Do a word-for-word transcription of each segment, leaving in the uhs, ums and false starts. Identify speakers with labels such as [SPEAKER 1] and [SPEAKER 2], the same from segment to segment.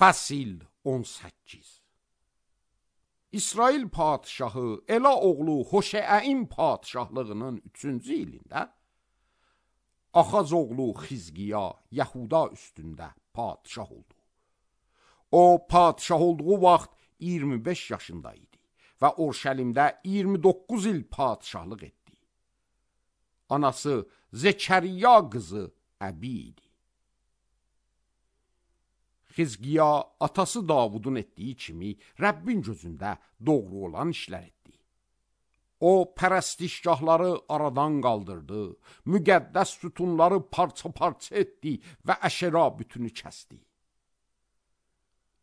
[SPEAKER 1] Fəsil on səkkiz. İsrail padişahı Ela oğlu Hoşeəin padişahlığının üçüncü ilində Axaz oğlu Xizqiya Yahuda üstündə padişah oldu. O padişah olduğu vaxt iyirmi beş yaşında idi və Orşəlimdə iyirmi doqquz il padişahlıq etdi. Anası Zekəriya qızı Əbi idi. Xizqiya atası Davudun etdiyi kimi Rəbbin gözündə doğru olan işlər etdi. O pərəstişgahları aradan qaldırdı, müqəddəs sütunları parça-parça etdi və Əşera bütünü kəsdi.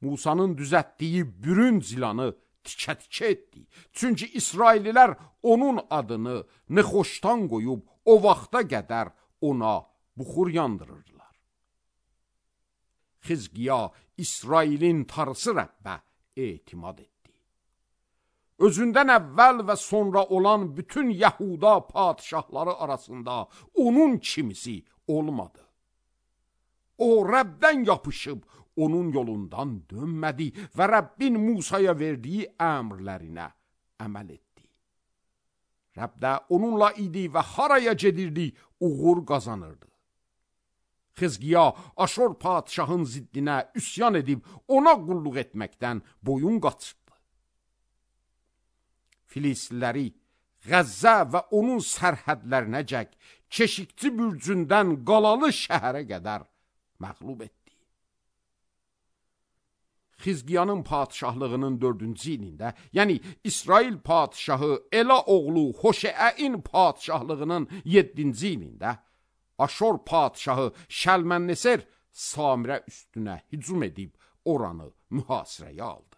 [SPEAKER 1] Musanın düzətdiyi bürünc zilanı tikə-tikə etdi. Çünki İsraililər onun adını Nexoşdan qoyub o vaxta qədər ona buxur yandırırdılar. Xizqiya İsrailin Tanrısı Rəbbə etimad etdi. Özündən əvvəl və sonra olan bütün Yahuda padişahları arasında onun kimisi olmadı. O Rəbdən yapışıb onun yolundan dönmədi və Rəbbin Musaya verdiyi əmrlərinə əməl etdi. Rəbb də onunla idi və haraya gedirdi, uğur qazanırdı. Xizqiya Aşor padişahın ziddinə üsyan edib ona qulluq etməkdən boyun qaçırdı. Filisliləri Qəzzə və onun sərhədlərinəcək keşikçi bürcündən qalalı şəhərə qədər məğlub etdi. Xizqiyanın padişahlığının dördüncü ilində, yəni İsrail padişahı Ela oğlu Hoşeəin padişahlığının yeddinci ilində, Aşor padişahı Şəlmənneser Samirə üstünə hücum edib oranı mühasirəyə aldı.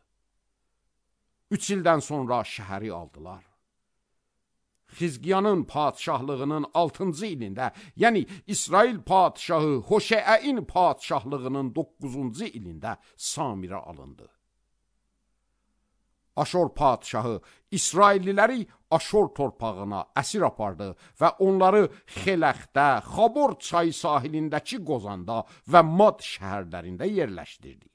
[SPEAKER 1] Üç ildən sonra şəhəri aldılar. Xizqiyanın padişahlığının altıncı ilində, yəni İsrail padişahı Hoşeəin padişahlığının doqquzuncu ilində Samirə alındı. Aşor padişahı İsrailliləri Aşor torpağına əsir apardı və onları Xeləxdə, Xabor çayı sahilindəki Qozanda və Mad şəhərlərində yerləşdirdi.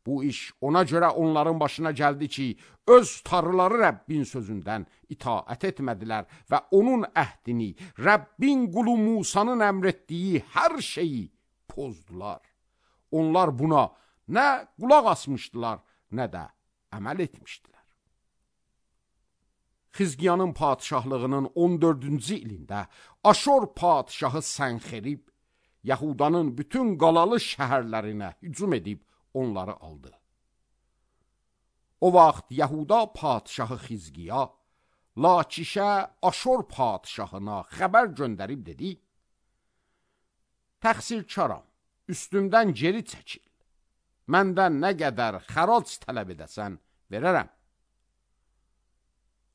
[SPEAKER 1] Bu iş ona görə onların başına gəldi ki, öz tanrıları Rəbbin sözündən itaət etmədilər və onun əhdini, Rəbbin qulu Musanın əmr etdiyi hər şeyi pozdular. Onlar buna nə qulaq asmışdılar, nə də əməl etmişdilər. Xizqiyanın padişahlığının on dördüncü ilində Aşor padişahı Sənxerib Yahudanın bütün qalalı şəhərlərinə hücum edib onları aldı. O vaxt Yahuda padişahı Xizqiya Lakişə Aşor padişahına xəbər göndərib dedi: Təqsirkaram, üstümdən geri çəkil. Məndən nə qədər xərac tələb edəsən, verərəm.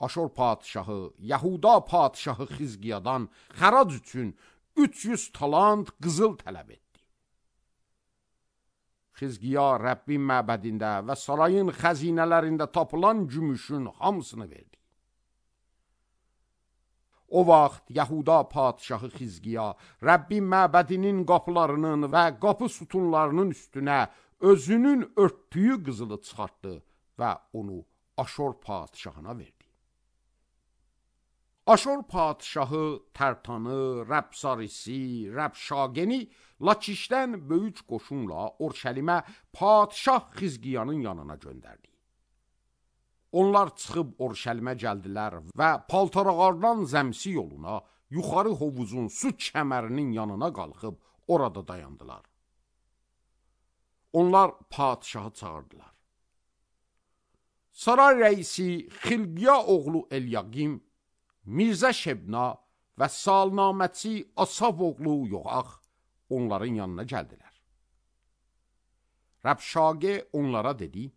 [SPEAKER 1] Aşor padişahı Yahuda padişahı Xizqiyadan xərac üçün üç yüz talant qızıl tələb etdi. Xizqiya Rəbbin məbədində və sarayın xəzinələrində tapılan gümüşün hamısını verdi. O vaxt Yahuda padişahı Xizqiya Rəbbin məbədinin qapılarının və qapı sütunlarının üstünə özünün örtdüyü qızılı çıxartdı və onu Aşor padişahına verdi. Aşor padişahı Tərtanı, Rəbsarisi, Rəbşageni Lakişdən böyük qoşunla Orşəlimə padişah Xizqiyanın yanına göndərdi. Onlar çıxıb Orşəlimə gəldilər və Paltarağardan Zəmsi yoluna, yuxarı hovuzun su kəmərinin yanına qalxıb orada dayandılar. Onlar padişahı çağırdılar. Saray rəisi Xilqiya oğlu Elyaqim, Mirzə Şebna və salnaməçi Asav oğlu Yoğaq onların yanına gəldilər. Rəbşagə onlara dedi: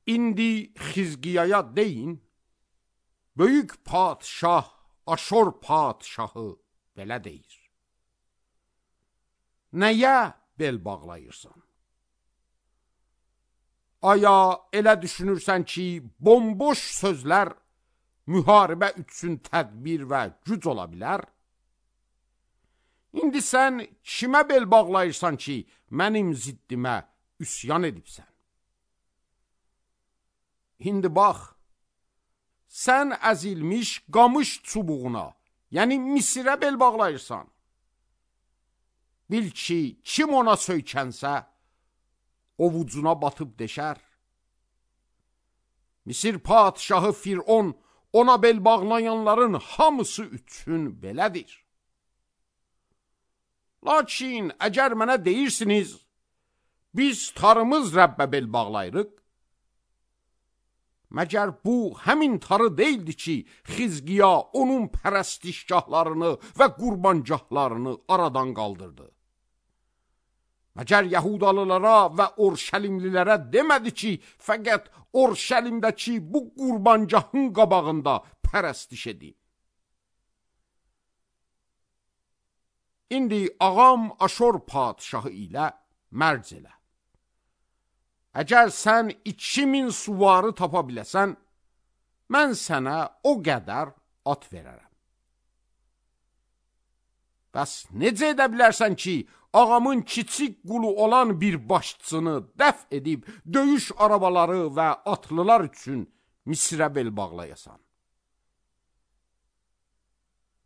[SPEAKER 1] İndi Xizqiyaya deyin, böyük padişah Aşor padişahı belə deyir: Nəyə bel bağlayırsan? Aya elə düşünürsən ki, bomboş sözlər müharibə üçün tədbir və güc ola bilər? İndi sən kimə bel bağlayırsan ki, mənim ziddimə üsyan edibsən? İndi bax, sən əzilmiş qamış çubuğuna, yəni Misirə bel bağlayırsan. Bil ki, kim ona söykənsə, ovucuna batıb deşər. Misir padişahı Firon ona bel bağlayanların hamısı üçün belədir. Lakin əgər mənə deyirsiniz, biz tarımız Rəbbə bel bağlayırıq, məgər bu həmin tarı deyildi ki, Xizqiya onun pərəstişgahlarını və qurbancahlarını aradan qaldırdı. Məgər Yahudalılara və Orşəlimlilərə demədi ki, fəqət Orşəlimdəki bu qurbancahın qabağında pərəstiş edin. İndi ağam Aşor padişahı ilə mərc elə. Əgər sən iki min suvarı tapa biləsən, mən sənə o qədər at verərəm. Bəs necə edə bilərsən ki, ağamın kiçik qulu olan bir başçını dəf edib döyüş arabaları və atlılar üçün Misirə bel bağlayasan?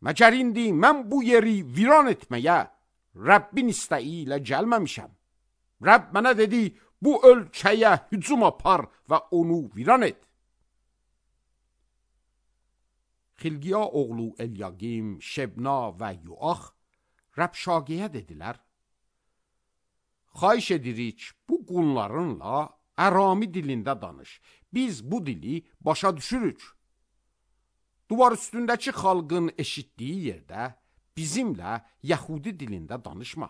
[SPEAKER 1] Məgər indi mən bu yeri viran etməyə Rəbbin istəyi ilə gəlməmişəm. Rəbb mənə dedi, bu ölkəyə hücum apar və onu viran et. Xilqiya oğlu Elyaqim, Şebna və Yoax Rəbşagiyə dedilər, xahiş edirik, bu qullarınla Ərami dilində danış. Biz bu dili başa düşürük. Duvar üstündəki xalqın eşitdiyi yerdə bizimlə Yəhudi dilində danışma.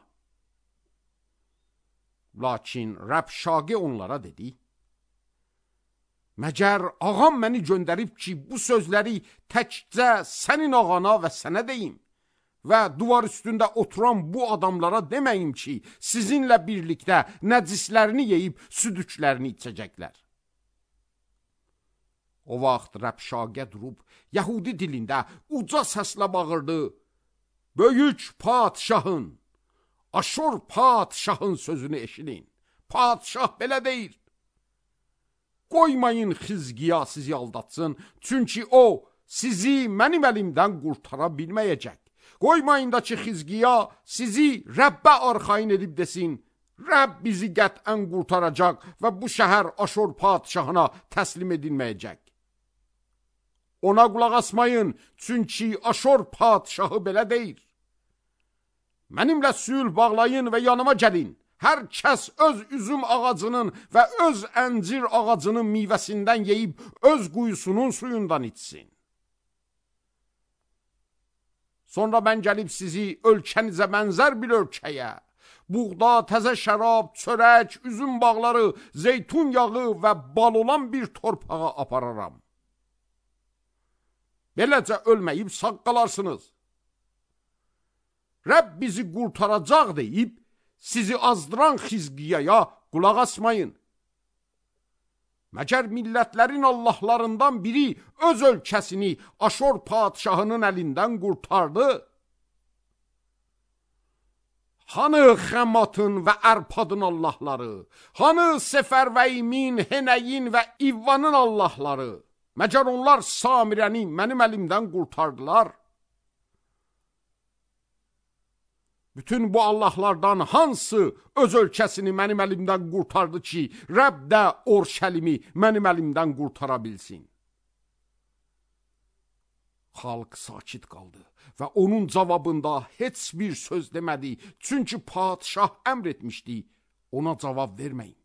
[SPEAKER 1] Lakin Rəbşaqi onlara dedi, məgər ağam məni göndərib ki, bu sözləri təkcə sənin ağana və sənə deyim və duvar üstündə oturan bu adamlara deməyim ki, sizinlə birlikdə nəcislərini yeyib südüklərini içəcəklər. O vaxt Rəbşaqə durub, Yəhudi dilində uca səslə bağırdı, böyük padişahın, Aşor padişahın sözünü eşidin. Padişah belə deyir, qoymayın Xizqiya sizi aldatsın, çünki o sizi mənim əlimdən qurtara bilməyəcək. Qoymayın da ki, Xizqiya sizi Rəbbə arxayın edib desin, Rəbb bizi qətən qurtaracaq və bu şəhər Aşor padişahına təslim edilməyəcək. Ona qulaq asmayın, çünki Aşor padişahı belə deyir. Mənimlə sülh bağlayın və yanıma gəlin. Hər kəs öz üzüm ağacının və öz əncir ağacının meyvəsindən yeyib öz quyusunun suyundan içsin. Sonra mən gəlib sizi ölkənizə bənzər bir ölkəyə, buğda, təzə şərab, çörək, üzüm bağları, zeytun yağı və bal olan bir torpağa apararam. Beləcə ölməyib sağ qalarsınız. Rəbb bizi qurtaracaq deyib, sizi azdıran Xizqiyaya qulaq asmayın. Məgər millətlərin Allahlarından biri öz ölkəsini Aşor padişahının əlindən qurtardı? Hanı Xəmatın və Ərpadın Allahları? Hanı Sefərvəyimin, Henəyin və İvvanın Allahları? Məgər onlar Samirəni mənim əlimdən qurtardılar? Bütün bu Allahlardan hansı öz ölkəsini mənim əlimdən qurtardı ki, Rəbb də Orşəlimi mənim əlimdən qurtara bilsin? Xalq sakit qaldı və onun cavabında heç bir söz demədi, çünki padişah əmr etmişdi, ona cavab verməyin.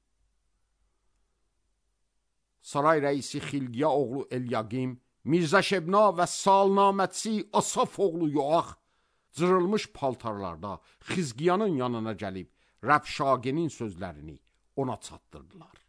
[SPEAKER 1] Saray rəisi Xilqiya oğlu Elyaqim, Mirzə Şebna və salnaməçi Asaf oğlu Yoax cırılmış paltarlarda Xizqiyanın yanına gəlib Rəbşaqinin sözlərini ona çatdırdılar.